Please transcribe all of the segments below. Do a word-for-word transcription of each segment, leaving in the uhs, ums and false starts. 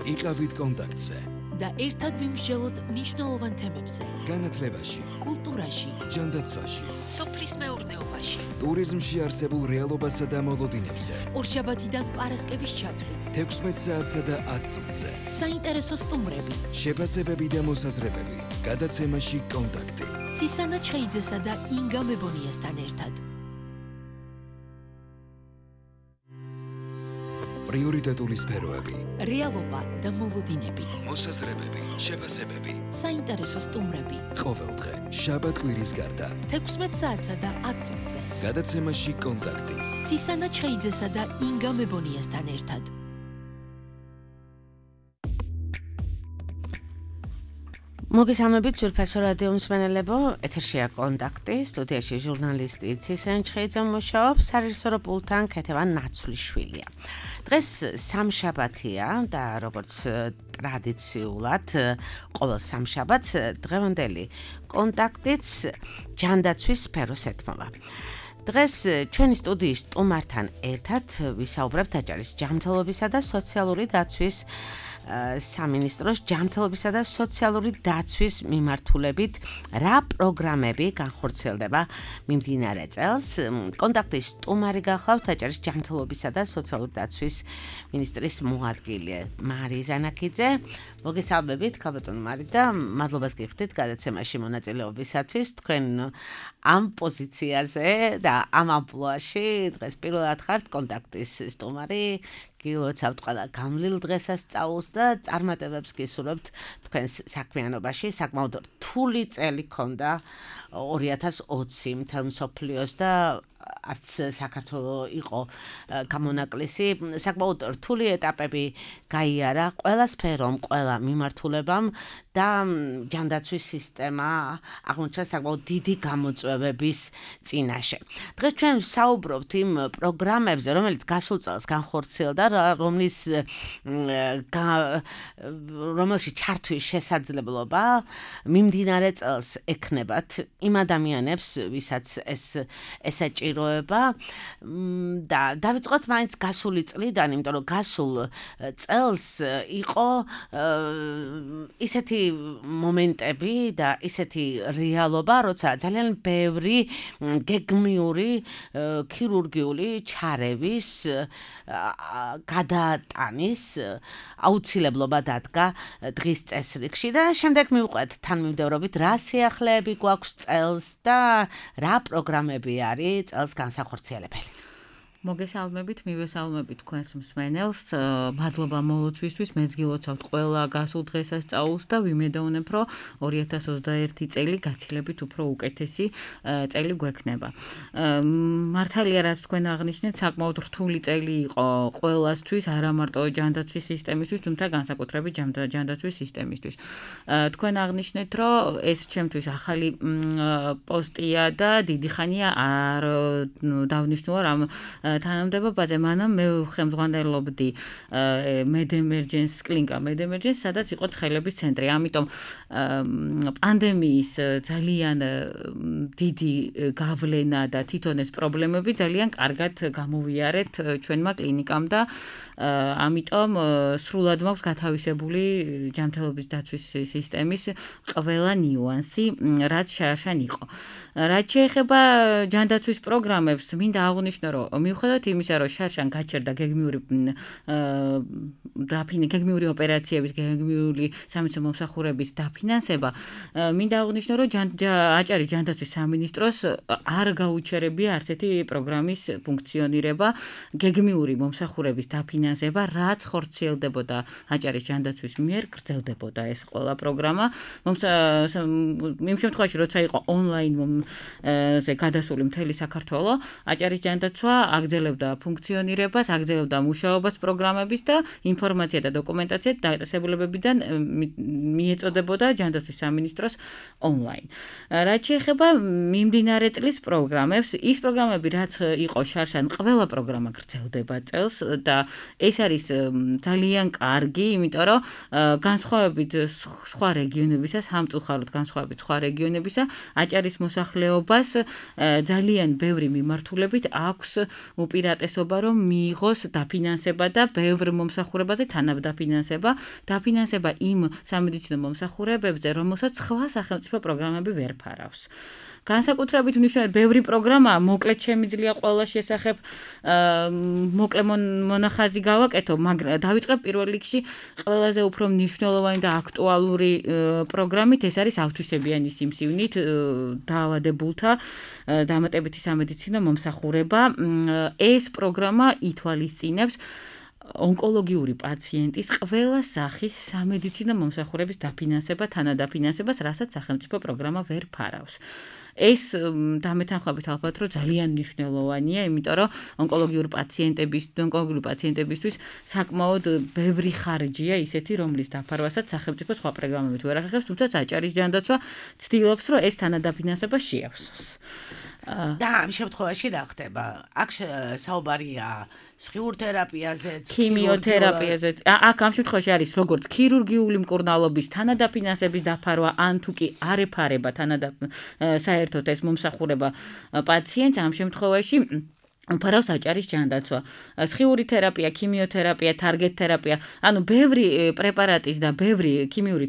იყავით კონტაქტზე და ერთად ვიმსჯელოთ მნიშვნელოვან თემებზე. განათლებაში, კულტურაში, ჯანდაცვაში, სოფლის მეურნეობაში, ტურიზმში არსებულ რეალობასა და მოლოდინებზე. ორშაბათიდან პარასკევის ჩათვლით, თექვსმეტ საათსა და ათ წუთზე. საინტერესო სტუმრები, შეფასებები და მოსაზრებები. გადაცემაში კონტაქტი. ცისანა ჩხეიძესა და ინგა მებონიასთან ერთად. პრიორიტეტული სფეროები. რეალობა და მოლოდინები. მოსაზრებები, შეფასებები. საინტერესო სტუმრები. ყოველდღე, შაბათ-კვირის გარდა. თექვსმეტ საათსა და ათ წუთზე. გადაცემაში კონტაქტი. ცისანა ჩხეიძესა და ინგა მებონიასთან ერთად. მოგესალმებით ძვირფასო რადიო მსმენელებო, ეთერშია კონტაქტი, სტუდიაში ჟურნალისტი ცისანა ჩხეიძე მუშაობს, სარეჟისორო პულტთან ქეთევა ნაცვლიშვილია. დღეს სამშაბათია და როგორც ტრადიციულად ყოველ სამშაბათს დღევანდელი კონტაქტიც ჯანდაცვის სფეროს ეთმობა. დღეს ჩვენი სტუდიის სტუმართან ერთად ვისაუბრებთ აჭარის ჯანმრთელობისა და სოციალური დაცვის სამინისტროს ჯანმრთელობისა და სოციალური დაცვის მიმართულებით რა პროგრამები განხორციელდება მიმდინარე წელს. კონტაქტის სტუმარი გახლავთ აჭარის ჯანმრთელობისა და სოციალური დაცვის მინისტრის მოადგილე მარი ზანაკიძე. მოგესალმებით, ქალბატონო მარი და მადლობას გიხდით გადაცემაში მონაწილეობისათვის. თქვენ ამ პოზიციაზე და ამ ამპლუაში დღეს პირველად ხართ კონტაქტის სტუმარი. გილოცავთ ყველა გამლილ დღესასწაულს და წარმატებებს გისურვებთ თქვენს საქმიანობაში. საკმაოდ რთული წელი ქონდა ორი ათას ოცი მთელ მსოფლიოს და არც საქართველოს იყო გამონაკლისი. საკმაოდ რთული ეტაპები გაიარა ყველა სფერომ, ყველა მიმართულებამ და ჯანდაცვის სისტემა აღმოჩნდა საკმაოდ დიდი გამოწვევების წინაშე. დღეს ჩვენ საუბრობთ იმ პროგრამებზე, რომელიც გასულ წელს განხორციელდა, რომლის რომელში ჩართვის შესაძლებლობა მიმდინარე წელს ექნებათ იმ ადამიანებს, ვისაც ეს ესაჭიროება და დავიწყოთ მაინც გასული წლიდან, იმიტომ რომ გასულ წელს იყო ისეთი მომენტები და ისეთი რეალობა, როცა ძალიან ბევრი გეგმიური ქირურგიული ჩარევის გადატანის აუცილებლობა დადგა დღის წესრიგში და შემდეგ მივყვეთ თანმიმდევრობით რა სიახლეები გვაქვს წელს და რა პროგრამები არის წელს განსახორციელებელი. მოგესალმებით, მივესალმებით თქვენს მსმენელს. მადლობა მოლოცვისთვის, მეც გილოცავთ ყველა გასულ დღესასწაულს და ვიმედოვნებ, რომ ორი ათას ოცდაერთი წელი გაცილებით უფრო უკეთესი წელი გვექნება. მართალია, რაც თქვენ აღნიშნეთ, საკმაოდ რთული წელი იყო ყველასთვის, არა მარტო ჯანდაცვის სისტემისთვის, თუმცა განსაკუთრებით ჯანდაცვის სისტემისთვის. თქვენ აღნიშნეთ, რომ ეს ჩემთვის ახალი პოსტია და დიდი ხანია არ დავნიშნულა რამ თანამდებობაზე, მანამ მე ხელმძღვანელობდი მედემერჯენს კლინიკა მედემერჯენს, სადაც იყო ცხელების ცენტრი. ამიტომ პანდემიის ძალიან დიდი გავლენა და თვითონ ეს პრობლემები ძალიან კარგად გამოვიარეთ ჩვენმა კლინიკამ და ამიტომ სრულად მაქვს გათავისებული ჯანმრთელობის დაცვის სისტემის ყველა ნიუანსი, რაც შარშან იყო. რაც შეეხება ჯანდაცვის პროგრამებს, მინდა აღვნიშნო, რომ მიუხედავად იმისა, რომ შარშან გაჩერდა გეგმიური გეგმიური ოპერაციების, გეგმიური სამედიცინო მომსახურების დაფინანსება, მინდა აღვნიშნო, რომ აჭარის ჯანდაცვის სამინისტროს არ გაუჩერებია არც ერთი პროგრამის ფუნქციონირება, გეგმიური მომსახურების დაფინანსება, რაც ხორციელდებოდა აჭარის ჯანდაცვის მიერ, გრძელდებოდა ეს ყველა პროგრამა. იმ შემთხვევაში, როცა იყო ონლაინ გადასული მთელი საქართველო, აჭარის ჯანდაცვა აგრძელებდა ფუნქციონირებას, აგრძელებდა მუშაობას პროგრამების და ინფორმაცია და დოკუმენტაცია დაწესებულებებიდან მიეწოდებოდა ჯანდაცვის სამინისტროს ონლაინ. რაც შეეხება მიმდინარე წლის პროგრამებს, ის პროგრამები, რაც იყო შარშან, ყველა პროგრამა გრძელდება წელს და ეს არის ძალიან კარგი, იმიტომ რომ განსხვავებით სხვა რეგიონებისა, სამწუხაროდ განსხვავებით სხვა რეგიონებისა, აჭარის მოსახლეობას ძალიან ბევრი მიმართულებით აქვს უპირატესობა რომ მიიღოს დაფინანსება და ბევრ მომსახურებაზე თანადაფინანსება, დაფინანსება იმ სამედიცინო მომსახურებებზე, რომელსაც სხვა სახელმწიფო პროგრამები ვერ ფარავს. განსაკუთრებით მნიშვნელოვანი ბევრი პროგრამაა, მოკლედ შემიძლია ყველა შესახებ მოკლე მონახაზი გავაკეთო, მაგრამ დავიწყებ პირველ რიგში ყველაზე უფრო მნიშვნელოვანი და აქტუალური პროგრამით, ეს არის ავთვისებიანი სიმსივნით დაავადებულთა დამატებითი სამედიცინო მომსახურება. ეს პროგრამა ითვალისწინებს ონკოლოგიური პაციენტის ყველა სახის სამედიცინო მომსახურების დაფინანსება, თანადაფინანსებას, რასაც სახელმწიფო პროგრამა ვერ ფარავს. ეს დამეთანხმებით ალბათ რომ ძალიან მნიშვნელოვანია, იმიტომ რომ ონკოლოგიური პაციენტების, ონკოლოგიური პაციენტებისთვის საკმაოდ ბევრი ხარჯია ისეთი, რომლის დაფარვასაც სახელმწიფო სხვა პროგრამებით ვერ ახერხებს, თუმცა საჭარის ჯანდაცვა ცდილობს, რომ ეს თანადაფინანსება შეავსოს. და ამ შემთხვევაში რა ხდება? აქ საუბარია სხიურ თერაპიაზეც, ქიმიოთერაპიაზეც. აქ ამ შემთხვევაში არის როგორც ქირურგიული მკურნალობის თანადაფინანსების დაფარვა, ან თუ კი არ ეფარება საერთოდ ეს მომსახურება პაციენტს, ამ შემთხვევაში ფარავს საჭარის ჯანდაცვა. სხიური თერაპია, ქიმიოთერაპია, თარგეტ თერაპია, ანუ ბევრი პრეპარატის და ბევრი ქიმიური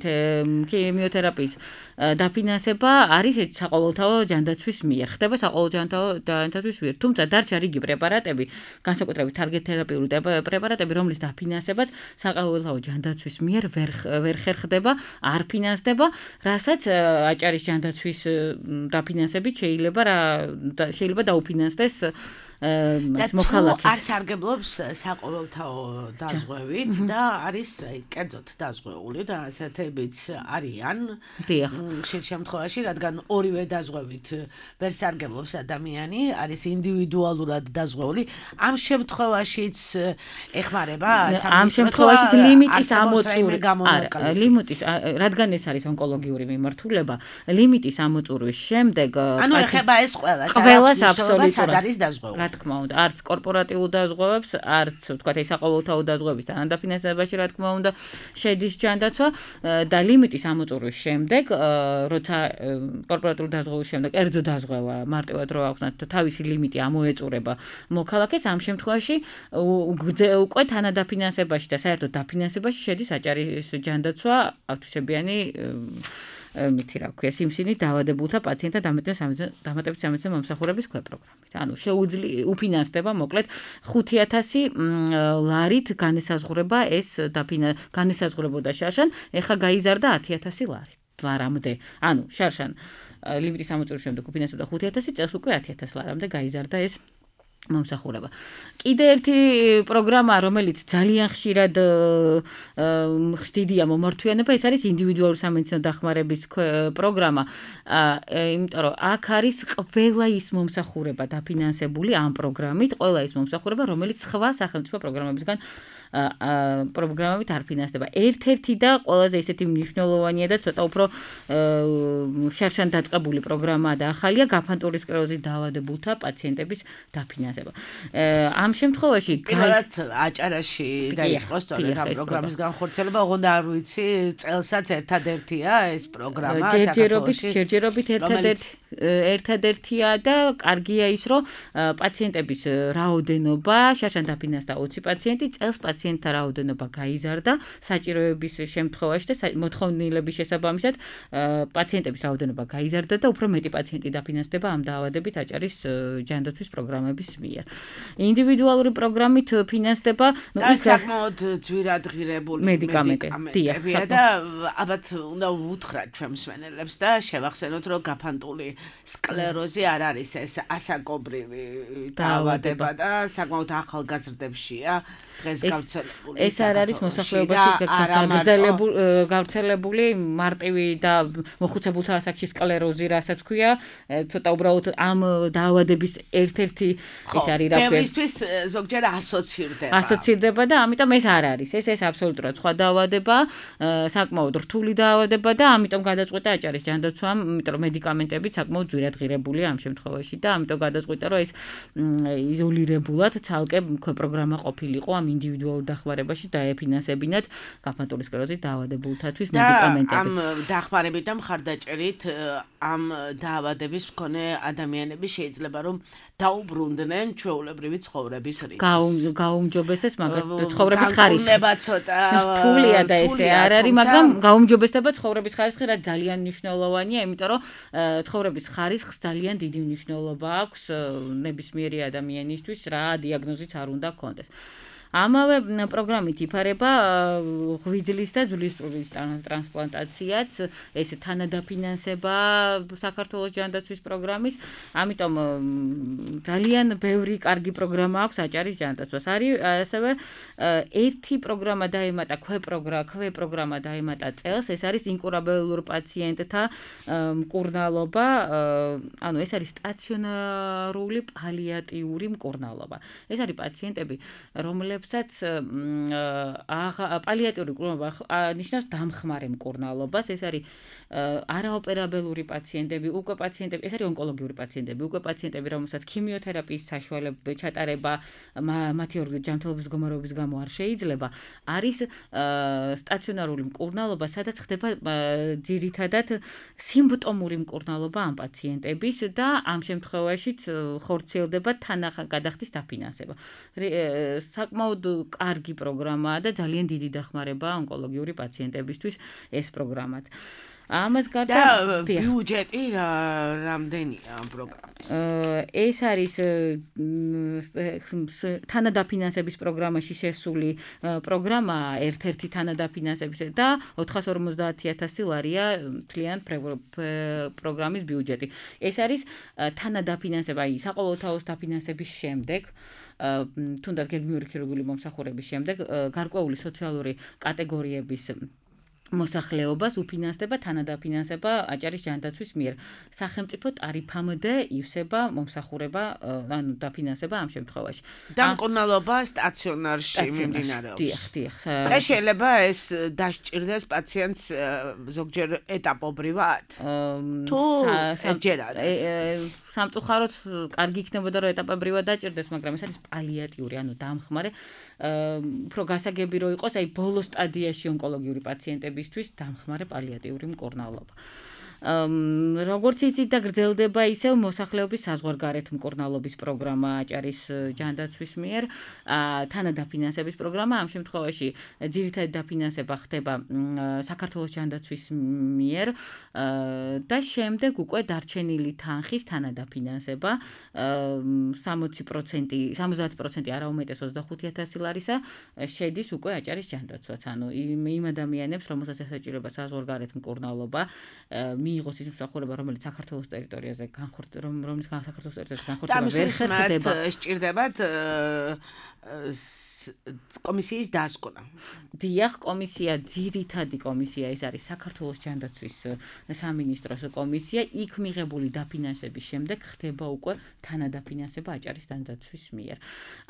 ქიმიოთერაპიის დაფინანსება არის საყოველთაო ჯანდაცვის მიერ. ხდება საყოველთაო ჯანდაცვის მიერ. თუმცა დარჩა რიგი პრეპარატები, განსაკუთრებით თარგეტ თერაპიული პრეპარატები, რომლის დაფინანსებაც საყოველთაო ჯანდაცვის მიერ ვერ ხერხდება, არ ფინანსდება, რასაც აჭარის ჯანდაცვის დაფინანსებით შეიძლება შეიძლება დაუფინანსდეს მოქალაქეს. არ სარგებლობს საყოველთაო დაზღვევით და არის კერძოდ დაზღვეული და ასეთებიც არიან. ხშირ შემთხვევაში, რადგან ორივე დაზღვევით ვერ სარგებლობს ადამიანი, არის ინდივიდუალურად დაზღვეული. ამ შემთხვევაშიც ეხმარება ამ შემთხვევაში ლიმიტის ამოწურვა. არა, ლიმიტის, რადგან ეს არის ონკოლოგიური მიმართულება, ლიმიტის ამოწურვის შემდეგ ანუ ეხება ეს ყველას, ყველას აბსოლუტურად არის დაზღვეული. რა თქმა უნდა, არც კორპორატიულ დაზღვევებს, არც ვთქვათ, ეს საყოველთაო დაზღვევის თანადაფინანსებაში, რა თქმა უნდა, შედის ჯანდაცვა და ლიმიტის ამოწურვის შემდეგ, როცა კორპორატიული დაზღვევის შემდეგ კერძო დაზღვევა მარტივად რო აქვს თავისი ლიმიტი ამოეწურება მოქალაქეს, ამ შემთხვევაში უკვე თანადაფინანსებაში და საერთოდ დაფინანსებაში შედის აჭარის ჯანდაცვა ავთვისებიანი მითი რა ქვია, სიმსივნით დაავადებულთა პაციენტთა დამატებითი სამედიცინო მომსახურების ქვეპროგრამით. ანუ შეუძლია უფინანსდება მოკლედ ხუთი ათასი ლარით განესაზღვრება ეს განესაზღვრებოდა შარშან, ეხლა გაიზარდა ათი ათასი ლარით. ლარამდე. ანუ შარშან ლიმიტის ამოწურვის შემდეგ უფინანსებდა ხუთი ათასი, წელს უკვე ათი ათასი ლარამდე გაიზარდა ეს მომსახურება. კიდე ერთი პროგრამა, რომელიც ძალიან ხშირად ხდიდია მომართვიანება, ეს არის ინდივიდუალური სამედიცინო დახმარების პროგრამა. იმიტომ რომ აქ არის ყველა ის მომსახურება დაფინანსებული ამ პროგრამით, ყველა ის მომსახურება, რომელიც სხვა სახელმწიფო პროგრამებისგან პროგრამებით არ ფინანსდება. ერთ-ერთი და ყველაზე ისეთი მნიშვნელოვანია და ცოტა უფრო შარშან დაწყებული პროგრამაა და ახალია გაფანტული სკლეროზით დაავადებულთა პაციენტების დაფინანსება. ამ შემთხვევაში პირველად აჭარაში დაიწყო სწორედ ამ პროგრამის განხორციელება, ოღონდ არ ვიცი, წელსაც ერთადერთია ეს პროგრამა საქართველოში. ჯერჯერობით ერთადერთი ერთადერთია და კარგია ის, რომ პაციენტების რაოდენობა შარშან დაფინანსდა ოცი პაციენტი, წელს პაციენტთა რაოდენობა გაიზარდა საჭიროების შემთხვევაში და მოთხოვნილების შესაბამისად პაციენტების რაოდენობა გაიზარდა და უფრო მეტი პაციენტი დაფინანსდება ამ დაავადებით აჭარის ჯანდაცვის პროგრამების მიერ. ინდივიდუალური პროგრამით ფინანსდება საკმაოდ ძვირადღირებული მედიკამენტებია და ალბათ უნდა უთხრათ ჩვენ მსმენელებს და შევახსენოთ, რომ გაფანტული სკლეროზი არ არის ეს ასაკობრივი დაავადება და საკმაოდ ახალგაზრდებშია დღეს გავრცელებული. ეს არ არის მოსახლეობაში გავრცელებული მარტივი და მოხუცებულთა ასაკში სკლეროზი, რასაც ქვია, ცოტა უბრალოდ ამ დაავადების ერთ-ერთი ეს არის რა ქვია. ბევრისთვის ზოგჯერ ასოცირდება. ასოცირდება და ამიტომ ეს არ არის. ეს ეს აბსოლუტურად სხვა დაავადება, საკმაოდ რთული დაავადება და ამიტომ გადაწყვეტა აჭარის ჯანდაცვამ, იმიტომ რომ მედიკამენტები საკმაოდ ძვირადღირებულია ამ შემთხვევაში და ამიტომ გადაწყვეტა, რომ ეს იზოლირებულად ცალკე პროგრამა ყოფილიყო ამ ინდივიდუალურ დახმარებაში დაეფინანსებინათ გაფანტული სკლეროზით დაავადებულთათვის მედიკამენტები. ამ დახმარებით და მხარდაჭერით ამ დაავადების მქონე ადამიანები შეიძლება რომ დაუბრუნდნენ ჩვეულებრივი ცხოვრების რიტმს. გაუმჯობესდეს, მაგრამ ცხოვრების ხარისხი. დაუბრუნება ცოტა რთულია და ესე არ არის, მაგრამ გაუმჯობესდება ცხოვრების ხარისხი, რაც ძალიან მნიშვნელოვანია, იმიტომ რომ ცხოვრების ხარისხს ძალიან დიდი მნიშვნელობა აქვს ნებისმიერი ადამიანისთვის, რა დიაგნოზიც არ უნდა ჰქონდეს. ამავე პროგრამით იფარება ღვიძლის და ძვლისწვლის ტრანსპლანტაციაც, ეს თანადაფინანსება საქართველოს ჯანდაცვის პროგრამის, ამიტომ ძალიან ბევრი კარგი პროგრამა აქვს აჭარის ჯანდაცვას. არის ასევე ერთი პროგრამა დაემატა ქვე პროგრამა დაემატა წელს, ეს არის ინკურაბელურ პაციენტთა მკურნალობა, ანუ ეს არის სტაციონარული პალიატიური მკურნალობა. ეს არის პაციენტები, რომლებსაც პალიატიური მკურნალობა ნიშნავს დამხმარე მკურნალობას, ეს არის არაოპერაბელური პაციენტები, უკვე პაციენტები, ეს არის ონკოლოგიური პაციენტები, უკვე პაციენტები, რომელსაც ქიმიოთერაპიის საშუალება ჩატარება მათი ორგანიზმის ჯანმრთელობის მდგომარეობის გამო არ შეიძლება, არის სტაციონარული მკურნალობა, სადაც ხდება ძირითადად სიმპტომური მკურნალობა ამ პაციენტების და ამ შემთხვევაშიც ხორციელდება თანაგადახდის დაფინანსება. საკმაოდ კარგი პროგრამაა და ძალიან დიდი დახმარებაა ონკოლოგიური პაციენტებისთვის ეს პროგრამად. ამას გარდა და ბიუჯეტი რამდენია ამ პროგრამის? ეს არის თანადაფინანსების პროგრამაში შესული პროგრამა, ერთ-ერთი თანადაფინანსების და ოთხას ორმოცდაათი ათასი ლარია მთლიან პროგრამის ბიუჯეტი. ეს არის თანადაფინანსება, აი საყოველთაოს დაფინანსების შემდეგ, თუნდაც გეგმიური ქირურგიული მომსახურების შემდეგ, გარკვეული სოციალური კატეგორიების მოსახლეობას უფინანსდება თანადაფინანსება აჭარის ჯანდაცვის მიერ. სახელმწიფო ტარიფამდე ივსება მომსახურება, ანუ დაფინანსება ამ შემთხვევაში. და მკურნალობა სტაციონარში მიმდინარეობს. დიახ, დიახ. და შეიძლება ეს დასჭირდეს პაციენტს ზოგჯერ ეტაპობრივად? თუ ერთჯერად? სამწუხაროდ კარგი იქნებოდა რომ ეტაპობრივად დაჭირდეს, მაგრამ ეს არის პალიატიური, ანუ დამხმარე, უფრო გასაგები რო იყოს, აი ბოლო სტადიაში ონკოლოგიური პაციენტებისთვის დამხმარე პალიატიური მკურნალობა. როგორც იცით და გრძელდება ისევ მოსახლეობის საზღვარგარეთ მკურნალობის პროგრამა აჭარის ჯანდაცვის მიერ, თანადაფინანსების პროგრამა, ამ შემთხვევაში ძირითადი დაფინანსება ხდება საქართველოს ჯანდაცვის მიერ და შემდეგ უკვე დარჩენილი თანხის თანადაფინანსება სამოცი პროცენტი, სამოცდაათი პროცენტი არა უმეტეს ოცდახუთი ათასი ლარისა შედის უკვე აჭარის ჯანდაცვას, ანუ იმ ადამიანებს, რომელსაც ესაჭიროება საზღვარგარეთ მკურნალობა, მიიღოს ის მსახურება, რომელიც საქართველოს ტერიტორიაზე განხორციელდება, რომელიც საქართველოს ტერიტორიაზე განხორციელდება, ვერ ხერხდება. სჭირდებათ კომისიის დასკვნა. დიახ, კომისია, ძირითადი კომისია, ეს არის საქართველოს ჯანდაცვის სამინისტროს კომისია, იქ მიღებული დაფინანსების შემდეგ ხდება უკვე თანადაფინანსება აჭარის ჯანდაცვის მიერ.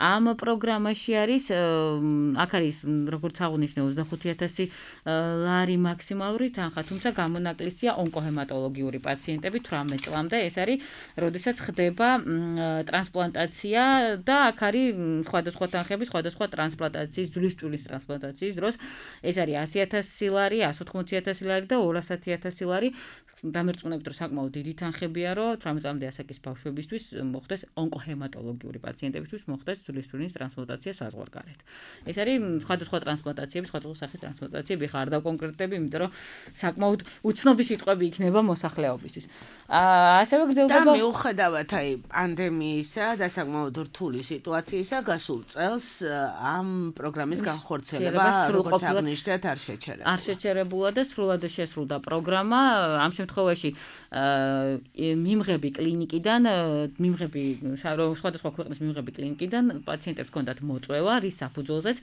ამ პროგრამაში არის, აქ არის, როგორც აღნიშნე, ოცდახუთი ათასი ლარი მაქსიმალური თანხა, თუმცა გამონაკლისია ონკოჰემატოლოგიური პაციენტები თვრამეტ წლამდე, ეს არის, როდესაც ხდება ტრანსპლანტაცია და აქ არის სხვადასხვა თანხები, სხვადასხვა ტრანსპლანტაციის, ძვლისწვლის ტრანსპლანტაციის დროს, ეს არის ასი ათასი ლარი, ასი ოთხმოცი ათასი ლარი და ორასი ათასი ლარი. დამერწმუნებით, რომ საკმაოდ დიდი თანხებია, რომ თვრამეტ წლამდე ასაკის ბავშვებისთვის მოხდეს ონკოჰემატოლოგიური პაციენტებისთვის მოხდეს ძვლისწვლის ტრანსპლანტაცია საზღვარგარეთ. ეს არის სხვადასხვა ტრანსპლანტაციები, სხვადასხვა სახის ტრანსპლანტაციები, ხარ დავკონკრეტები, იმიტომ რომ საკმაოდ უცნობი სიტყვები იქნება მოსახლეობისთვის. ასევე გრძელდება და მიუხედავად აი პანდემიისა და sakmaud რთული სიტუაციისა, გასულ წელს ამ პროგრამის განხორციელება როგორც აღნიშნეთ არ შეჩერებულა. არ შეჩერებულა და სრულად შესრულდა პროგრამა. ამ შემთხვევაში მიმღები კლინიკიდან, მიმღები სხვადასხვა ქვეყნის მიმღები კლინიკიდან პაციენტებს ჰქონდათ მოწვევა, რის საფუძველზეც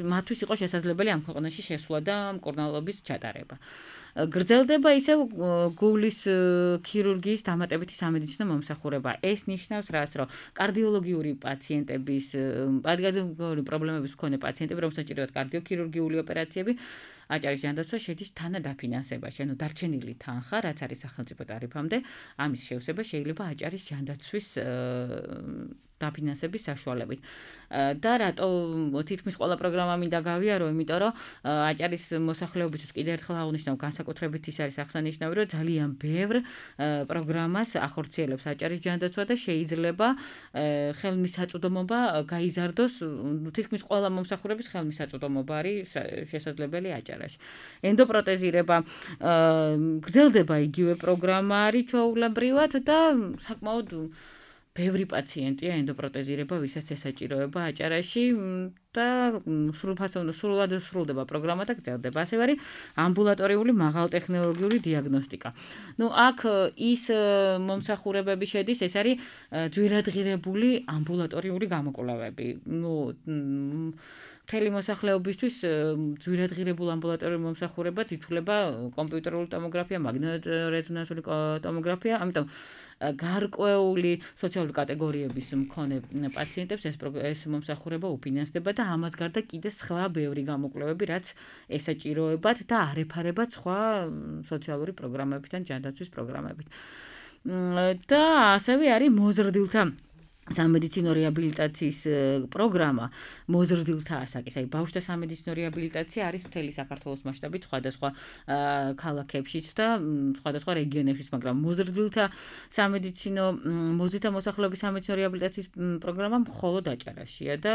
მათთვის იყო შესაძლებელი ამ ქვეყანაში შესვლა და მკურნალობის ჩატარება. გრძელდება ისევ გულის ქირურგიის დამატებითი სამედიცინო მომსახურება. ეს ნიშნავს რას, რომ კარდიოლოგიური პაციენტების, კარდიოლოგიური პრობლემების მქონე პაციენტები, რომელსაც ჭირდებათ კარდიოქირურგიული ოპერაციები, აჭარის ჯანდაცვა შედის თანადაფინანსებაში, ანუ დარჩენილი თანხა, რაც არის სახელმწიფო ტარიფამდე, ამის შევსება შეიძლება აჭარის ჯანდაცვის დაფინანსების საშუალებით. და რატო თითქმის ყველა პროგრამა მინდა გავიარო, იმიტომ რომ აჭარის მოსახლეობისთვის კიდევ ერთხელ აღნიშნავ, განსაკუთრებით ის არის აღსანიშნავი, რომ ძალიან ბევრ პროგრამას ახორციელებს აჭარის ჯანდაცვა და შეიძლება ხელმისაწვდომობა გაიზარდოს თითქმის ყველა მომსახურების ხელმისაწვდომობა არის შესაძლებელი აჭარაში. ენდოპროტეზირება გრძელდება იგივე პროგრამა არის ჩვეულებრივად და საკმაოდ ბევრი პაციენტია ენდოპროტეზირება, ვისაც ესაჭიროება აჭარაში და სრულფასოვნო სრულად სრულდება პროგრამა და გრძელდება. ასევე არის ამბულატორიული მაღალტექნოლოგიური დიაგნოსტიკა. ნუ აქ ის მომსახურებები შედის, ეს არის ძვირადღირებული ამბულატორიული გამოკვლევები. ნუ მთელი მოსახლეობისთვის ძვირადღირებულ ამბულატორიულ მომსახურებად ითვლება კომპიუტერული ტომოგრაფია, მაგნიტორეზონანსული ტომოგრაფია, ამიტომ გარკვეული სოციალური კატეგორიების მქონე პაციენტებს ეს ეს მომსახურება უფინანსდება და ამას გარდა კიდე სხვა ბევრი გამოკვლევები, რაც ესაჭიროებათ და არ ეფარებათ სხვა სოციალური პროგრამებით ან ჯანდაცვის პროგრამებით. და ასევე არის მოზრდილთა სამედიცინო რეაბილიტაციის პროგრამა მოზრდილთა ასაკის, აი ბავშვთა სამედიცინო რეაბილიტაცია არის მთელი საქართველოს მასშტაბით სხვადასხვა ქალაქებშიც და სხვადასხვა რეგიონებშიც, მაგრამ მოზრდილთა სამედიცინო მოზრდილთა მოსახლეობის სამედიცინო რეაბილიტაციის პროგრამა მხოლოდ აჭარაშია და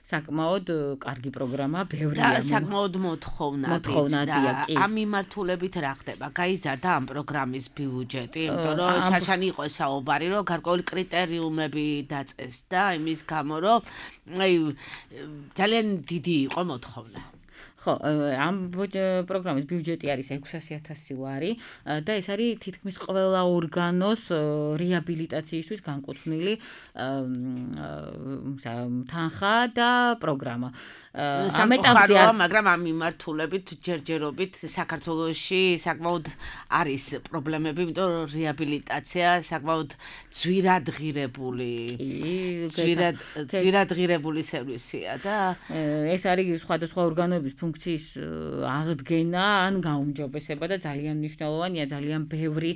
საკმაოდ კარგი პროგრამა, ბევრია. და საკმაოდ მოთხოვნადიც და ამ მიმართულებით რა ხდება? გაიზარდა ამ პროგრამის ბიუჯეტი, იმიტომ რომ შაშანი იყო საუბარი, რომ გარკვეული კრიტერიუმები დაწეს და იმის გამო რომ აი ძალიან დიდი იყო მოთხოვნა. ხო, ამ პროგრამის ბიუჯეტი არის ექვსასი ათასი ლარი და ეს არის თითქმის ყველა ორგანოს რეაბილიტაციისთვის განკუთვნილი თანხა და პროგრამა. სამწუხაროა, მაგრამ ამ მიმართულებით ჯერჯერობით საქართველოში საკმაოდ არის პრობლემები, იმიტომ რომ რეაბილიტაცია საკმაოდ ძვირადღირებული ძვირადღირებული სერვისია და ეს არის სხვადასხვა ორგანოების ფუნქციის აღდგენა ან გაუმჯობესება და ძალიან მნიშვნელოვანია, ძალიან ბევრი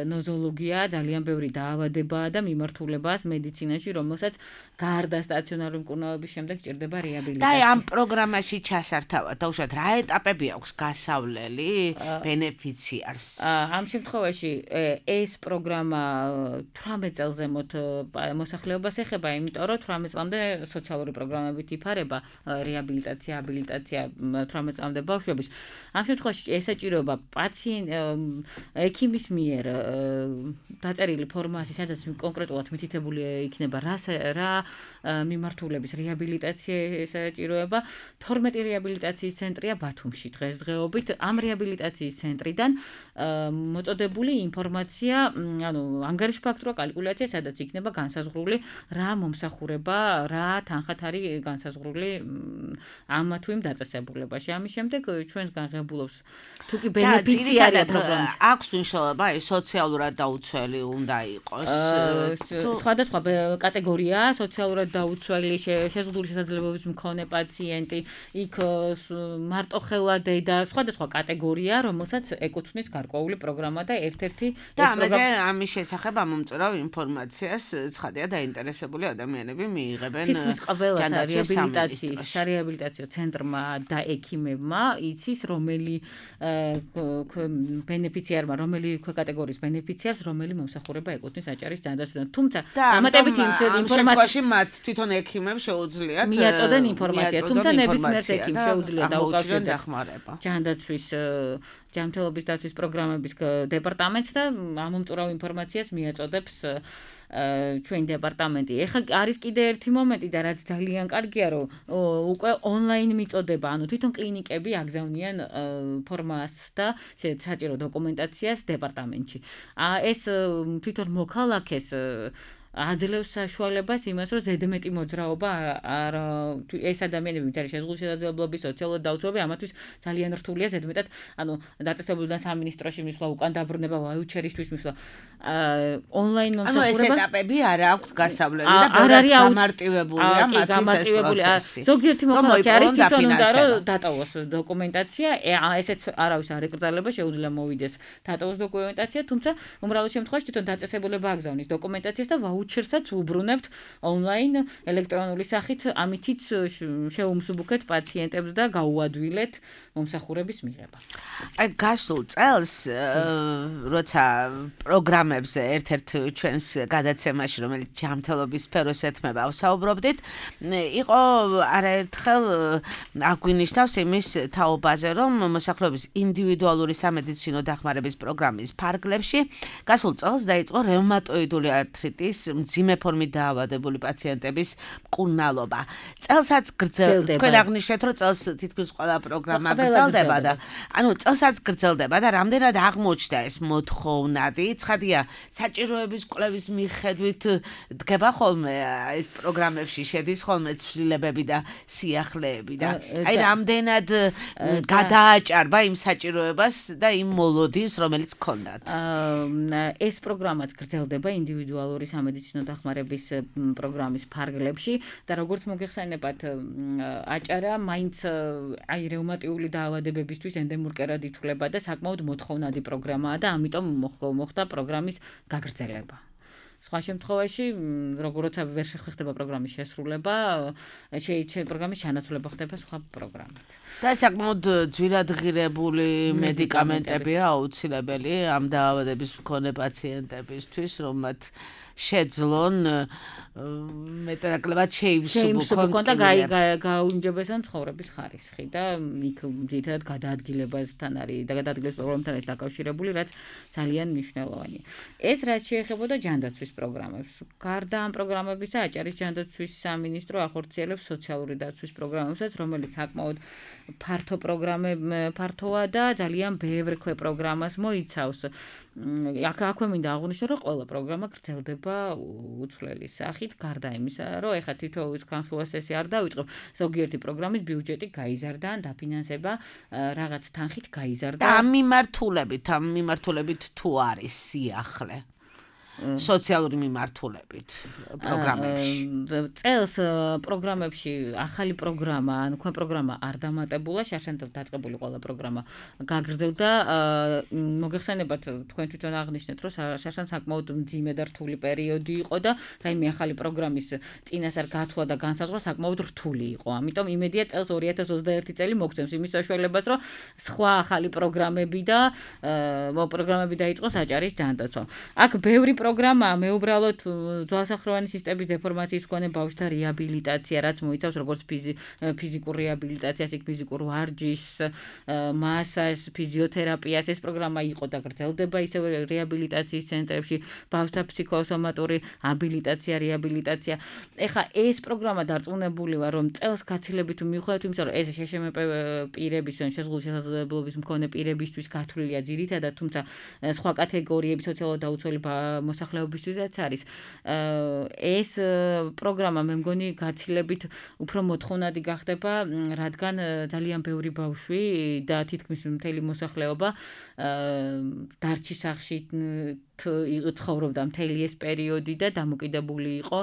ნოზოლოგია, ძალიან ბევრი დაავადებაა და მიმართულებაა მედიცინაში, რომელსაც გარდა სტაციონარული მკურნალობის შემდეგ ჭირდება რეაბილიტაცია. და ამ პროგრამაში ჩასართავად დაუშვათ რა ეტაპები აქვს გასავლელი ბენეფიციარს? ამ შემთხვევაში ეს პროგრამა თვრამეტ წელს ზემოთ მოსახლეობას ეხება, იმიტომ რომ თვრამეტ წლამდე სოციალური პროგრამებით იფარება რეაბილიტაცია, აბილიტაცია თვრამეტ წლამდე ბავშვების. ამ შემთხვევაში ესაჭიროება პაციენტ ექიმის მიერ დაწერილი ფორმაცია, სადაც კონკრეტულად მითითებული იქნება რა რა მიმართულების რეაბილიტაცია ესაჭიროება. თორმეტი რეაბილიტაციის ცენტრია ბათუმში დღესდღეობით. ამ რეაბილიტაციის ცენტრიდან მოწოდებული ინფორმაცია, ანუ ანგარიშფაქტორო კალკულაცია, სადაც იქნება განსაზღვრული რა მომსახურება, რა თანხად არის განსაზღვრული ამ თუ იმ დაწესებულებაში. ამის შემდეგ ჩვენს განღებულობს თუ კი ბენეფიციარია პროგრამის. აქვს მნიშვნელობა, აი სოციალურად დაუცველი უნდა იყოს. სხვადასხვა კატეგორია, სოციალურად დაუცველი, შეზღუდული შესაძლებლობების მქონე პაციენტი, იქ მარტოხელა დედა, სხვადასხვა კატეგორია, რომელსაც ეკუთვნის გარკვეული პროგრამა და ერთ-ერთი და ამაზე ამის შესახებ ამომწურავ ინფორმაციას ცხადია დაინტერესებული ადამიანები მიიღებენ ჯანდაცვის რეაბილიტაციის სარეაბილიტაციო ცენტრმა და ექიმებმა იცის რომელი ბენეფიციარმა, რომელი კატეგორიის ბენეფიციარს რომელი მომსახურება ეკუთვნის აჭარის ჯანდაცვიდან. თუმცა დამატებით ინფორმაციაში მათ თვითონ ექიმებს შეუძლიათ მიაწოდენ ინფორმაცია, თუმცა ნებისმიერ ექიმს შეუძლია დაუკავშირდეს ჯანდაცვის ჯანმრთელობის დაცვის პროგრამების დეპარტამენტს და ამომწურავ ინფორმაციას მიაწოდებს ჩვენი დეპარტამენტი. ეხლა არის კიდე ერთი მომენტი და რაც ძალიან კარგია, რომ უკვე ონლაინ მიწოდება, ანუ თვითონ კლინიკები აგზავნიან ფორმას და საჭირო დოკუმენტაციას დეპარტამენტში. ეს თვითონ მოქალაქეს აძლევს საშუალებას იმას, რომ ზედმეტი მოძრაობა არ ეს ადამიანები, ვინც არის შეზღუდული შესაძლებლობის, სოციალურად დაუცველები, ამათთვის ძალიან რთულია ზედმეტად, ანუ დაწესებულებიდან სამინისტროში მისვლა, უკან დაბრუნება, ვაიუჩერისთვის მისვლა. ონლაინ ანუ მომსახურება. ეს ეტაპები არ აქვს გასავლელი და ბევრად გამარტივებულია მათთვის ეს პროცესი. ზოგიერთი მოქალაქე არის თვითონ უნდა რომ დატოვოს დოკუმენტაცია, ესეც არავის არ ეკრძალება, შეუძლია მოვიდეს დატოვოს დოკუმენტაცია, თუმცა უმრავლეს შემთხვევაში თვითონ დაწესებულება აგზავნის დოკუმენტაციას და ვაუჩერსაც უბრუნებთ ონლაინ ელექტრონული სახით, ამითიც შეუმსუბუქეთ პაციენტებს და გაუადვილეთ მომსახურების მიღება. აი გასულ წელს როცა პროგრამებზე ერთ-ერთ ჩვენს გადაცემაში, რომელიც ჯანმრთელობის სფეროს ეთმება, ვსაუბრობდით, იყო არაერთხელ აგვინიშნავს იმის თაობაზე, რომ მოსახლეობის ინდივიდუალური სამედიცინო დახმარების პროგრამის ფარგლებში გასულ წელს დაიწყო რევმატოიდული ართრიტის მძიმე ფორმით დაავადებული პაციენტების მკურნალობა. წელსაც გრძელდება. თქვენ აღნიშნეთ, რომ წელს თითქმის ყველა პროგრამა გრძელდება და ანუ წელსაც გრძელდება და რამდენად აღმოჩნდა ეს მოთხოვნადი. ცხადია, საჭიროების კვლევის მიხედვით დგება ხოლმე ეს პროგრამებში შედის ხოლმე ცვლილებები და სიახლეები და აი რამდენად გადააჭარბა იმ საჭიროებას და იმ მოლოდინს, რომელიც ჰქონდათ. ეს პროგრამაც გრძელდება ინდივიდუალური სამედიცინო დახმარების პროგრამის ფარგლებში და როგორც მოგეხსენებათ, აჭარა მაინც აი რევმატიული დაავადებებისთვის ენდემურ ითვლება და საკმაოდ მოთხოვნადი პროგრამაა და ამიტომ მოხდა პროგრამის გაგრძელება. სხვა შემთხვევაში, როგორც ვერ შეხება პროგრამის შესრულება, შეიძლება პროგრამის ჩანაცვლება ხდება სხვა პროგრამით. და საკმაოდ ძვირადღირებული მედიკამენტებია აუცილებელი ამ დაავადების მქონე პაციენტებისთვის, რომ მათ შეძლონ მეტნაკლებად შეივსუბუქონ და გააუნჯობესონ ცხოვრების ხარისხი და იქ ძირითადად გადაადგილებასთან არის და გადაადგილების პროგრამთან არის დაკავშირებული, რაც ძალიან მნიშვნელოვანია. ეს რაც შეეხებოდა ჯანდაცვის პროგრამებს. გარდა ამ პროგრამებისა, აჭარის ჯანდაცვის სამინისტრო ახორციელებს სოციალური დაცვის პროგრამებსაც, რომელიც საკმაოდ ფართო პროგრამე ფართოა და ძალიან ბევრ ქვე პროგრამას მოიცავს. აქ აქვე მინდა აღვნიშნო, რომ ყველა პროგრამა გრძელდება უცვლელი სახით, გარდა იმისა, რომ ეხლა თითოეულ განხილვას წესი არ დავიწყებ, ზოგიერთი პროგრამის ბიუჯეტი გაიზარდა ან დაფინანსება რაღაც თანხით გაიზარდა. და ამ მიმართულებით, ამ მიმართულებით თუ არის სიახლე სოციალური მიმართულებით პროგრამებში. წელს პროგრამებში ახალი პროგრამა, ან თქვენ პროგრამა არ დამატებულა, შარშანდელ დაწყებული ყველა პროგრამა გაგრძელდა. მოგეხსენებათ, თქვენ თვითონ აღნიშნეთ, რომ შარშან საკმაოდ მძიმე და რთული პერიოდი იყო და რაიმე ახალი პროგრამის წინასწარ გათვლა და განსაზღვრა საკმაოდ რთული იყო. ამიტომ იმედია წელს ორი ათას ოცდაერთი წელი მოგცემს იმის საშუალებას, რომ სხვა ახალი პროგრამები და პროგრამები დაიწყოს აჭარის ჯანდაცვა. აქ ბევრი პროგრამა მეუბრალოდ ძვალსახროვანი სისტემის დეფორმაციის მქონე ბავშვთა რეაბილიტაცია, რაც მოიცავს როგორც ფიზიკურ რეაბილიტაციას, იქ ფიზიკურ ვარჯიშს, მასაჟს, ფიზიოთერაპიას. ეს პროგრამა იყო და გრძელდება ისევ რეაბილიტაციის ცენტრებში, ბავშვთა ფსიქოსომატური აბილიტაცია, რეაბილიტაცია. ეხლა ეს პროგრამა დარწმუნებული ვარ, რომ წელს გაცილებით მიუხედავად იმისა, რომ ეს შეშმპ პირების ან შეზღუდული შესაძლებლობის მქონე პირებისთვის გათვლილია ძირითადად, თუმცა სხვა კატეგორიები სოციალურად დაუცველი მოსახლეობისთვისაც არის. ეს პროგრამა მე მგონი გაცილებით უფრო მოთხოვნადი გახდება, რადგან ძალიან ბევრი ბავშვი და თითქმის მთელი მოსახლეობა დარჩი სახლში ცხოვრობდა მთელი ეს პერიოდი და დამოკიდებული იყო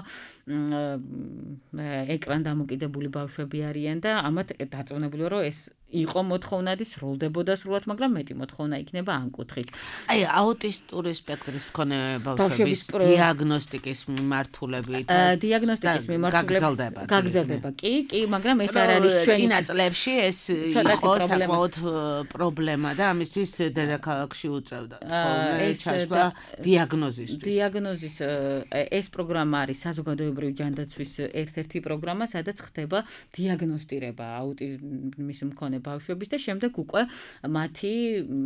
ეკრან დამოკიდებული ბავშვები არიან და ამათ დარწმუნებული ვარ, რომ ეს იყო მოთხოვნადი, სრულდებოდა სრულად, მაგრამ მეტი მოთხოვნა იქნება ამ კუთხით. აი აუტისტური სპექტრის მქონე ბავშვების დიაგნოსტიკის მიმართულებით დიაგნოსტიკის მიმართულებით გაგრძელდება. კი, კი, მაგრამ ეს არ არის ჩვენი წინა წლებში ეს იყო საკმაოდ პრობლემა და ამისთვის დედაქალაქში უწევდათ ხოლმე ჩასვლა დიაგნოზისთვის. დიაგნოზის ეს პროგრამა არის საზოგადოებრივი ჯანდაცვის ერთ-ერთი პროგრამა, სადაც ხდება დიაგნოსტირება აუტიზმის მქონე ბავშვების და შემდეგ უკვე მათი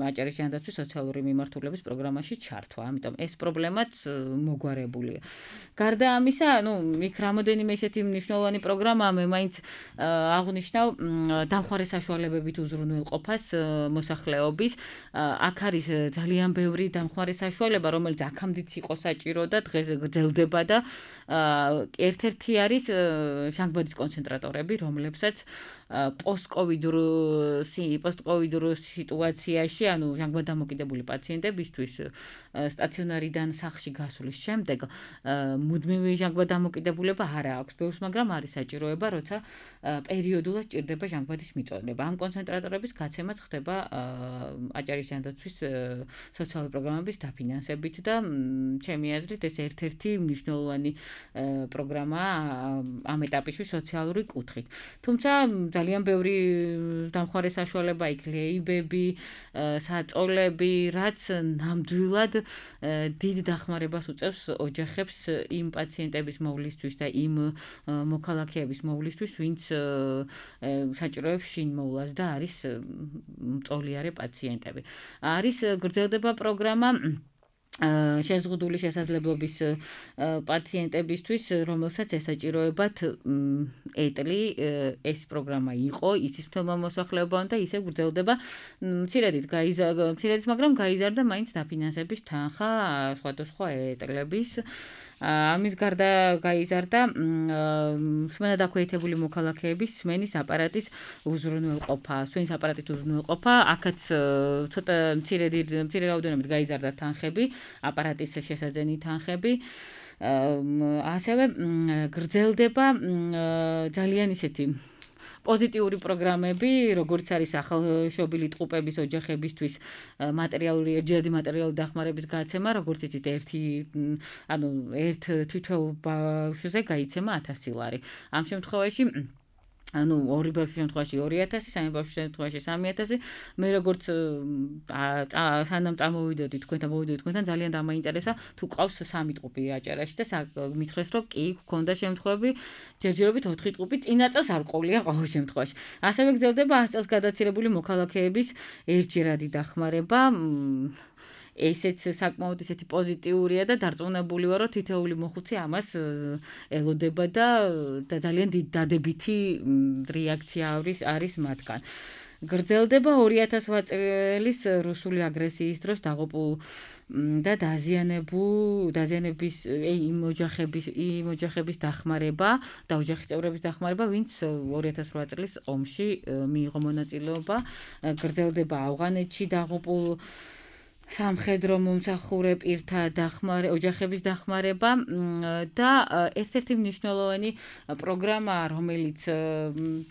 აჭარის ჯანდაცვის სოციალური მიმართულების პროგრამაში ჩართვა. ამიტომ ეს პრობლემაც მოგვარებულია. გარდა ამისა, ну, იქ რამოდენიმე ისეთი მნიშვნელოვანი პროგრამაა, მე მაინც აღნიშნავ დამხმარე საშუალებებით უზრუნველყოფას მოსახლეობის. აქ არის ძალიან ბევრი დამხმარე საშუალება, რომელიც აქამდეც იყო საჭირო და დღეს გრძელდება და ერთ-ერთი არის შანგბადის კონცენტრატორები, რომლებსაც პოსტკოვიდურ პოსტკოვიდურ სიტუაციაში, ანუ ჟანგბად დამოკიდებული პაციენტებისთვის სტაციონარიდან სახლში გასulis შემდეგ მუდმივი ჟანგბად დამოკიდებულება არ აქვს ბევრს, მაგრამ არის საჭიროება, როცა პერიოდულად სჭირდება ჟანგბადის მიწოდება. ამ კონცენტრატორების გაცემაც ხდება აჭარის ჯანდაცვის სოციალური პროგრამების დაფინანსებით. შესაბამისებით და ჩემი აზრით ეს ერთ-ერთი მნიშვნელოვანი პროგრამაა ამ ეტაპში სოციალური კუთხით. თუმცა ძალიან ბევრი დამხმარე საშუალება იქ ლეიბები, საწოლები, რაც ნამდვილად დიდ დახმარებას უწევს ოჯახებს იმ პაციენტების მოვლისთვის და იმ მოქალაქეების მოვლისთვის, ვინც საჭიროებს შინმოვლას და არის მწოლიარე პაციენტები. არის გრძელდება პროგრამა შეზღუდული შესაძლებლობის პაციენტებისთვის, რომელსაც ესაჭიროებათ ეტლი, ეს პროგრამა იყო, იცის მთელმა მოსახლეობამ და ისე გრძელდება მცირედით, მცირედით, მაგრამ გაიზარდა მაინც დაფინანსების თანხა სხვადასხვა ეტლების. ამის გარდა გაიზარდა სმენად აქვეითებული მოქალაქეების სმენის აპარატის უზრუნველყოფა, სმენის აპარატით უზრუნველყოფა, აქაც ცოტა მცირედი მცირე რაოდენობით გაიზარდა თანხები, აპარატის შესაძენი თანხები. ასევე გრძელდება ძალიან ისეთი პოზიტიური პროგრამები, როგორც არის ახალშობილი ტყუპების ოჯახებისთვის მატერიალური ჯერადი მატერიალური დახმარების გაცემა, როგორც იცით, ერთი ანუ ერთ თითოეულ ბავშვზე გაიცემა ათასი ლარი. ამ შემთხვევაში ანუ ორი ბავშვის შემთხვევაში ორი ათასი, სამი ბავშვის შემთხვევაში სამი ათასი. მე როგორც სანამ წამოვიდოდი თქვენ და მოვიდოდი თქვენთან, ძალიან დამაინტერესა თუ ყავს სამი ტყუპი აჭარაში და მითხრეს რომ კი გქონდა შემთხვევები, ჯერჯერობით ოთხი ტყუპი წინა წელს არ ყოლია ყოველ შემთხვევაში. ასევე გრძელდება ას წელს გადაცილებული მოქალაქეების ერთჯერადი დახმარება. ესეც საკმაოდ ისეთი პოზიტიურია და დარწმუნებული ვარ, რომ თითოეული მოხუცი ამას ელოდება და ძალიან დადებითი რეაქცია არის მათგან. გრძელდება ორი ათას წლის რუსული აგრესიის დროს დაღუპულ და დაზიანებულ დაზიანების იმ ოჯახების იმ ოჯახების დახმარება და ოჯახის წევრების დახმარება, ვინც ორი ათას რვა წლის ომში მიიღო მონაწილეობა. გრძელდება ავღანეთში დაღუპულ სამხედრო მომსახურე პირთა დახმარე ოჯახების დახმარება და ერთ-ერთი მნიშვნელოვანი პროგრამა, რომელიც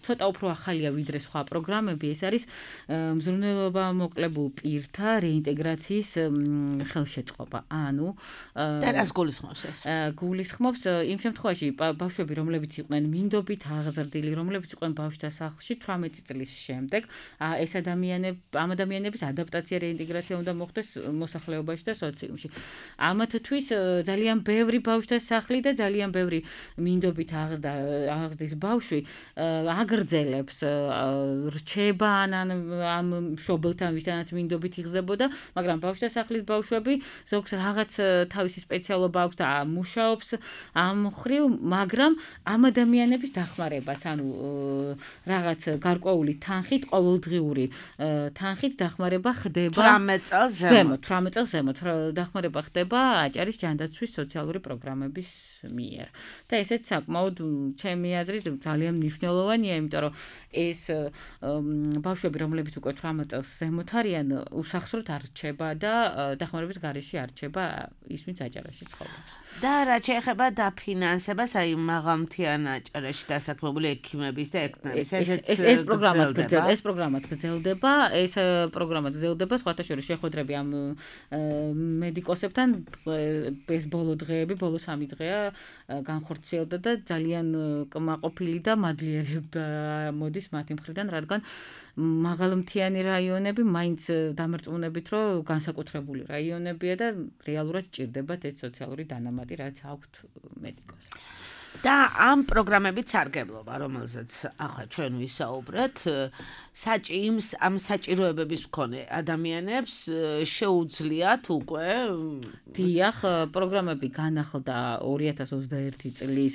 ცოტა უფრო ახალია ვიდრე სხვა პროგრამები, ეს არის მზრუნველობა მოკლებულ პირთა რეინტეგრაციის ხელშეწყობა. ანუ და რას გულისხმობს ეს? გულისხმობს იმ შემთხვევაში ბავშვები, რომლებიც იყვნენ მინდობით აღზრდილი, რომლებიც იყვნენ ბავშვთა სახლში თვრამეტი წლის შემდეგ, ეს ადამიანები ამ ადამიანების ადაპტაცია, რეინტეგრაცია უნდა მოხდეს მოსახლეობაში და სოციუმში. ამათთვის ძალიან ბევრი ბავშვთა სახლი და ძალიან ბევრი მინდობით აღზრდა აღზრდის ბავშვი აგრძელებს რჩება ან ამ მშობელთან, ვისთანაც მინდობით იხსდებოდა, მაგრამ ბავშვთა სახლის ბავშვები ზოგს რაღაც თავისი სპეციალობა აქვს და მუშაობს ამ მხრივ, მაგრამ ამ ადამიანების დახმარებაც, ანუ რაღაც გარკვეული თანხით, ყოველდღიური თანხით დახმარება ხდება თვრამეტ წელს ზემოთ, თვრამეტ წელს ზემოთ დახმარება ხდება აჭარის ჯანდაცვის სოციალური პროგრამების მიერ. და ესეც საკმაოდ ჩემი აზრით ძალიან მნიშვნელოვანია, იმიტომ რომ ეს ბავშვები, რომლებიც უკვე თვრამეტ წელს ზემოთ არიან, უსახსროდ არ რჩება და დახმარების გარეშე არ რჩება ის, ვინც აჭარაში ცხოვრობს. და რაც შეეხება დაფინანსებას, აი მაღალმთიან აჭარაში დასაქმებული ექიმების და ექნების, ესეც ეს პროგრამაც გრძელდება, ეს პროგრამაც გრძელდება, ეს პროგრამაც გრძელდება, სხვათა შორის შეხვედრები ამ მედიკოსებთან ეს ბოლო დღეები, ბოლო სამი დღეა განხორციელდა და ძალიან კმაყოფილი და მადლიერება მოდის მათი მხრიდან, რადგან მაღალმთიანი რაიონები მაინც დამარწმუნებით, რომ განსაკუთრებული რაიონებია და რეალურად ჭირდებათ ეს სოციალური დანამატი, რაც აქვთ მედიკოსებს. და ამ პროგრამებით სარგებლობა, რომელზეც ახლა ჩვენ ვისაუბრეთ, საჭიმს ამ საჭიროებების მქონე ადამიანებს შეუძლიათ უკვე დიახ, პროგრამები განახლდა ორი ათას ოცდაერთი წლის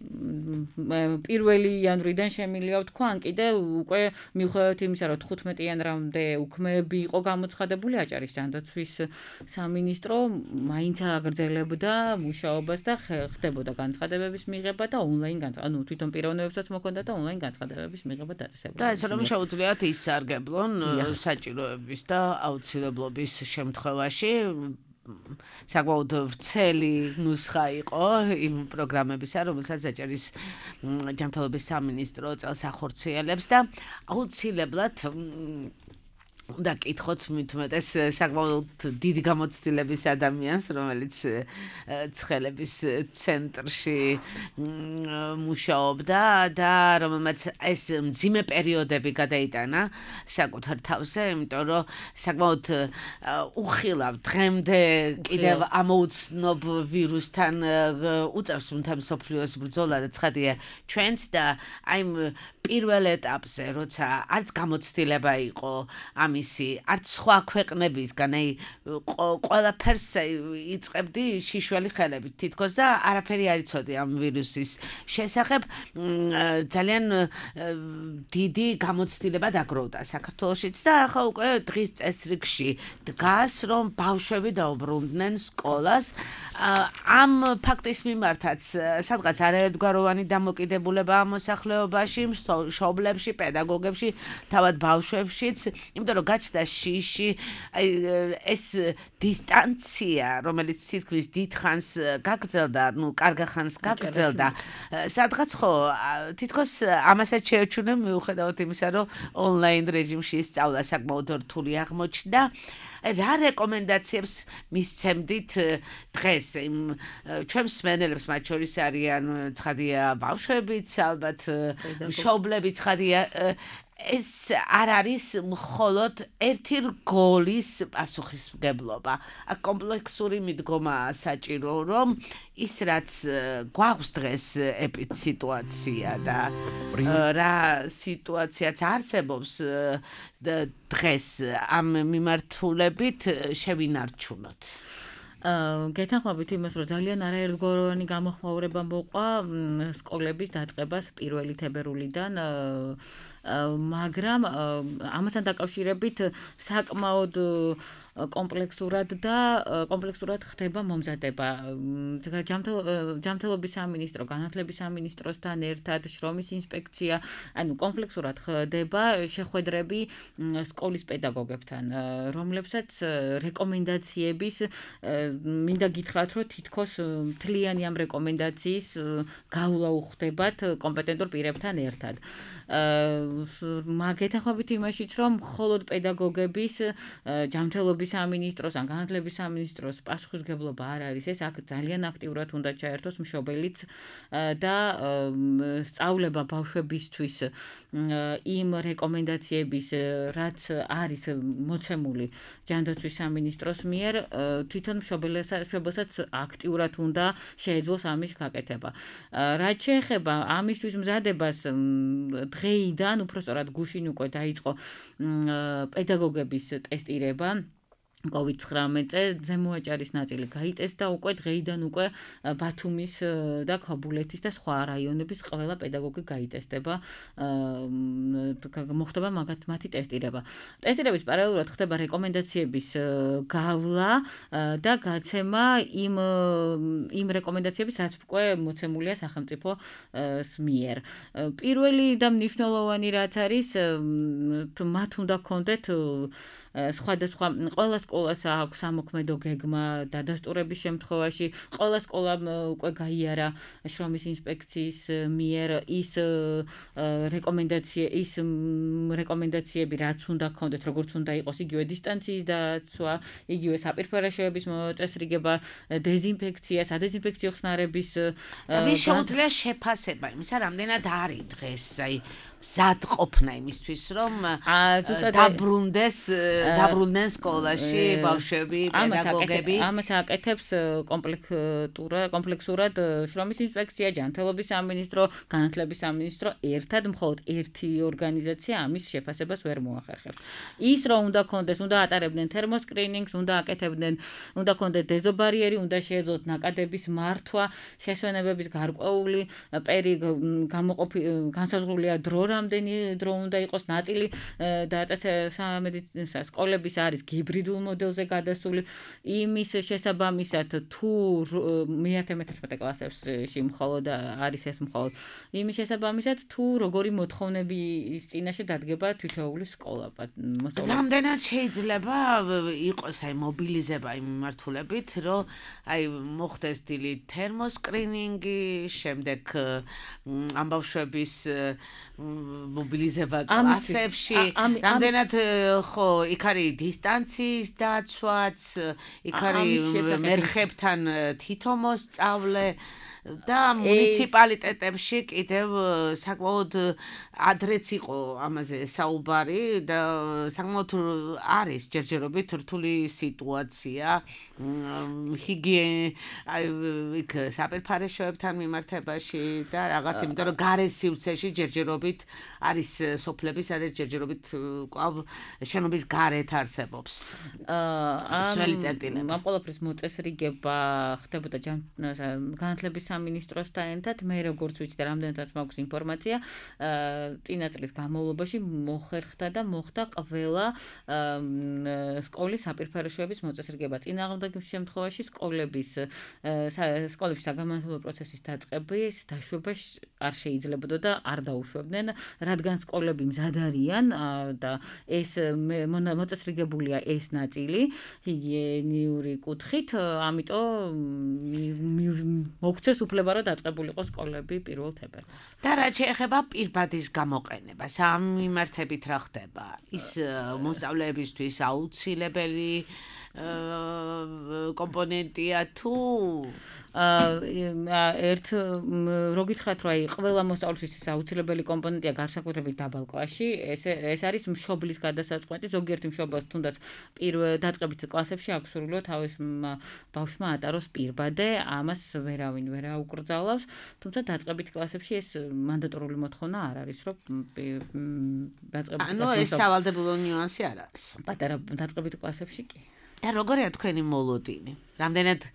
პირველი იანვრიდან შემიძლია ვთქვა, ან კიდე უკვე მიუხედავად იმისა, რომ თხუთმეტი იანვრამდე უქმეები იყო გამოცხადებული აჭარის ჯანდაცვის სამინისტრო, მაინც აგრძელებდა მუშაობას და ხდებოდა განცხადებების მიღება და ონლაინ განცხადება, ანუ თვითონ პიროვნებებსაც მოქონდა და ონლაინ განცხადებების მიღება დაწესებულა. და ეს რომ შეუძლიათ ისარგებლონ საჭიროების და აუცილებლობის შემთხვევაში. საკმაოდ ვრცელი ნუსხა იყო იმ პროგრამებისა, რომელსაც აჭარის ჯანმრთელობის სამინისტრო წელს ახორციელებს და აუცილებლად უნდა კითხოთ მithumetes საკმაოდ დიდი გამოცდილების ადამიანს, რომელიც ცხელების ცენტრში მუშაობდა და რომელმაც ეს მძიმე პერიოდები გადაიტანა საკუთარ თავზე, იმიტომ რომ საკმაოდ უხილავ დღემდე კიდევ ამოუცნობ ვირუსთან უწევს მთელ მსოფლიოს ბრძოლა და ცხადია ჩვენც და აი პირველ ეტაპზე, როცა არც გამოცდილება იყო ამისი, არც სხვა ქვეყნებისგან, აი ყველაფერს იწყებდი შიშველი ხელებით თითქოს და არაფერი არ იცოდი ამ ვირუსის შესახებ. ძალიან დიდი გამოცდილება დაგროვდა საქართველოშიც და ახლა უკვე დღის წესრიგში დგას, რომ ბავშვები დაუბრუნდნენ სკოლას. ამ ფაქტის მიმართაც სადღაც არაერთგვაროვანი დამოკიდებულება მოსახლეობაში, შობლებში, პედაგოგებში, თავად ბავშვებშიც, იმიტომ რომ გაჩნდა შიში, აი ეს დისტანცია, რომელიც თითქმის დიდხანს გაგრძელდა, ну, კარგ ხანს გაგრძელდა. სადღაც ხო, თითქოს ამასაც შეეჩვენა მიუხედავად იმისა, რომ ონლაინ რეჟიმში სწავლა საკმაოდ რთული აღმოჩნდა. რა რეკომენდაციებს მისცემდით დღეს იმ ჩვენს მსმენელებს, მათ შორის არიან ცხადია ბავშვებიც, ალბათ მშობლებიც, ცხადია ეს არ არის მხოლოდ ერთი რგოლის პასუხისმგებლობა. აქ კომპლექსური მიდგომაა საჭირო, რომ ის რაც გვაქვს დღეს ეპიდსიტუაცია და რა სიტუაციაც არსებობს დღეს ამ მიმართულებით შევინარჩუნოთ. გეთანხმებით იმას, რომ ძალიან არაერთგვაროვანი გამოხმაურება მოყვა სკოლების დაწყებას პირველი თებერვლიდან, მაგრამ ამასთან დაკავშირებით საკმაოდ კომპლექსურად და კომპლექსურად ხდება მომზადება. ჯანმრთელობის სამინისტრო, განათლების სამინისტროსთან ერთად, შრომის ინსპექცია, ანუ კომპლექსურად ხდება შეხვედრები სკოლის პედაგოგებთან, რომლებსაც რეკომენდაციების მინდა გითხრათ, რომ თითქოს მთლიანი ამ რეკომენდაციის გავლა უხდებათ კომპეტენტურ პირებთან ერთად. მაგეთახობით იმაშიც, რომ მხოლოდ პედაგოგების ჯანმრთელობის სამინისტროს ან განათლების სამინისტროს პასუხისმგებლობა არ არის ეს, აქ ძალიან აქტიურად უნდა ჩაერთოს მშობელიც და სწავლება ბავშვებისთვის იმ რეკომენდაციების, რაც არის მოცემული ჯანდაცვის სამინისტროს მიერ, თვითონ მშობელსაც აქტიურად უნდა შეეძლოს ამის გაკეთება. რაც შეეხება ამისთვის მზადებას, დღეიდან უпростоრად გუშინ უკვე დაიწყო პედაგოგების ტესტირება კოვიდ ცხრამეტზე, ზემოაჭარის ნაწილი გაიტესტა უკვე დღეიდან უკვე ბათუმის და ქაბულეთის და სხვა რაიონების ყველა პედაგოგი გაიტესტება, მოხდება მათი ტესტირება. ტესტირების პარალელურად ხდება რეკომენდაციების გავლა და გაცემა იმ იმ რეკომენდაციების, რაც უკვე მოცემულია სახელმწიფოს მიერ. პირველი და მნიშვნელოვანი რაც არის, მათ უნდა ჰქონდეთ სხვადასხვა ყველა სკოლას აქვს სამოქმედო გეგმა დადასტურების შემთხვევაში, ყველა სკოლამ უკვე გაიარა შრომის ინსპექციის მიერ ის რეკომენდაცია, ის რეკომენდაციები, რაც უნდა ჰქონდეთ, როგორც უნდა იყოს იგივე დისტანციის დაცვა, იგივე საპირფერაშოების მოწესრიგება, დეზინფექცია, სადეზინფექციო ხსნარების ვის შეუძლია შეფასება იმისა, რამდენად არის დღეს, აი მზად ყოფნა იმისთვის, რომ დაბრუნდეს დაბრუნდნენ სკოლაში ბავშვები, პედაგოგები. ამას აკეთებს კომპლექსურად, კომპლექსურად შრომის ინსპექცია, ჯანმრთელობის სამინისტრო, განათლების სამინისტრო, ერთად მხოლოდ ერთი ორგანიზაცია ამის შეფასებას ვერ მოახერხებს. ის რომ უნდა ქონდეს, უნდა ატარებდნენ თერმოსკრინინგს, უნდა აკეთებდნენ, უნდა ქონდეს დეზობარიერი, უნდა შეეძლოთ ნაკადების მართვა, შესვენებების გარკვეული პერი გამოყოფი განსაზღვრულია დრო რამდენი დრო უნდა იყოს ნაწილი და სკოლების არის ჰიბრიდულ მოდელზე გადასული, იმის შესაბამისად თუ მეათე მეთერთმეტე კლასებში მხოლოდ არის ეს მხოლოდ იმის შესაბამისად თუ როგორი მოთხოვნების წინაშე დადგება თითოეული სკოლა. რამდენად შეიძლება იყოს აი მობილიზება იმ მიმართულებით, რომ აი მოხდეს დილით თერმოსკრინინგი, შემდეგ ამ ბავშვების მობილიზება კლასებში, რამდენად ხო იქ იქ არის დისტანციის დაცვაც, იქ არის მერხებთან თითო მოსწავლე და მუნიციპალიტეტებში კიდევ საკმაოდ ადრეც იყო ამაზე საუბარი და საკმაოდ არის ჯერჯერობით რთული სიტუაცია ჰიგიენა იქ საპირფარეშოებთან მიმართებაში და რაღაც იმიტომ რომ გარე სივრცეში ჯერჯერობით არის სოფლები სადაც ჯერჯერობით კვლავ შენობის გარეთ არსებობს სველი წერტილები ამ ყველაფრის მოწესრიგება ხდებოდა განათლების სამინისტროსთან ერთად მე როგორც ვიცი და რამდენადაც მაქვს ინფორმაცია წინა წლის განმავლობაში მოხერხდა და მოხდა ყველა სკოლის საპირფარეშოების მოწესრიგება წინააღმდეგ შემთხვევაში სკოლების სკოლებში საგამომცემლო პროცესის დაწყების დაშვება არ შეიძლებოდა და არ დაუშვებდნენ რადგან სკოლები მზად არიან და ეს მოწესრიგებულია ეს ნაწილი ჰიგიენიური კუთხით ამიტომ მოგცეს უფლება რომ დაწყებულიყო სკოლები პირველ თებერვალს. და რაც შეეხება პირბადის გამოყენებას, ამ მიმართებით რა ხდება? ის მოსწავლეებისთვის აუცილებელი კომპონენტია თუ ერთ რო გითხრათ რომ აი ყველა მოსწავლისთვის ეს აუცილებელი კომპონენტია განსაკუთრებით დაბალ კლასში ეს ეს არის მშობლის გადასაწყვეტი ზოგიერთი მშობელს თუნდაც პირველ დაწყებით კლასებში აქვს სურვილო თავის ბავშვმა ატაროს პირბადე ამას ვერავინ ვერ აუკრძალავს თუმცა დაწყებით კლასებში ეს მანდატორული მოთხოვნა არ არის რომ დაწყებით ანუ ეს სავალდებულო ნიუანსი არ არის პატარა დაწყებით კლასებში კი და როგორია თქვენი მოლოდინი? რამდენად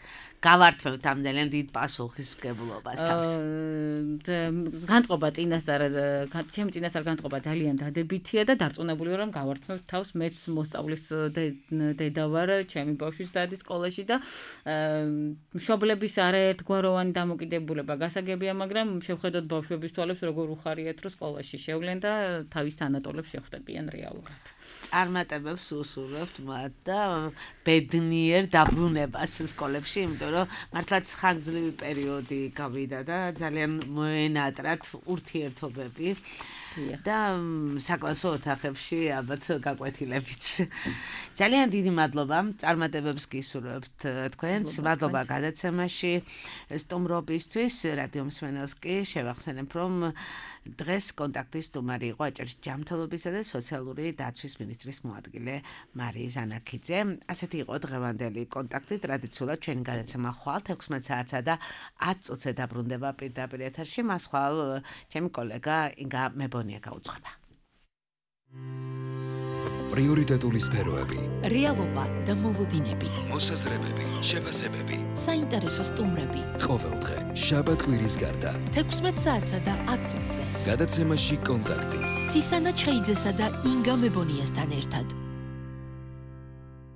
გავართმევთ ამდენად დიდ პასუხისმგებლობას თავს? განწყობა წინასწარ, ჩემი წინასწარ განწყობა ძალიან დადებითია და დარწმუნებული ვარ რომ გავართმევთ თავს მეც მოსწავლის დედა ვარ, ჩემი ბავშვის დადის სკოლაში და მშობლების არაერთგვაროვანი დამოკიდებულება გასაგებია, მაგრამ შევხედოთ ბავშვების თვალებს როგორ უხარიათ რომ სკოლაში შევლენ და თავის თანატოლებს შეხვდებიან რეალურად. წარმატებებს უსურვებთ მათ და ბედნიერ დაბრუნებას სკოლებში, იმიტომ რომ მართლაც ხანგრძლივი პერიოდი გავიდა და ძალიან მოენატრათ ურთიერთობები და საკლასო ოთახებში ალბათ გაკვეთილებიც. ძალიან დიდი მადლობა, წარმატებებს გისურვებთ თქვენს, მადლობა გადაცემაში სტუმრობისთვის, რადიო მსმენელს კი შევახსენებ, რომ დღეს კონტაქტის სტუმარი იყო აჭარის ჯანმრთელობისა და სოციალური დაცვის მინისტრის მოადგილე მარია ზანაქიძე. ასეთი იყო დღევანდელი კონტაქტი. ტრადიციულად ჩვენი გადაცემა ხვალ თექვსმეტ საათსა და ათ წუთზე დაბრუნდება პირდაპირ ეთერში. მას ხვალ ჩემი კოლეგა ინგა მებონია გაუძღვება. პრიორიტეტული სფეროები, რეალობა და მოლოდინები, მოსაზრებები, შეფასებები, საინტერესო სტუმრები. ყოველდღე, შაბათ-კვირის გარდა. თექვსმეტ საათსა და ათ წუთზე. გადაცემაში კონტაქტი. ცისანა ჩხეიძესა და ინგა მებონიასთან ერთად.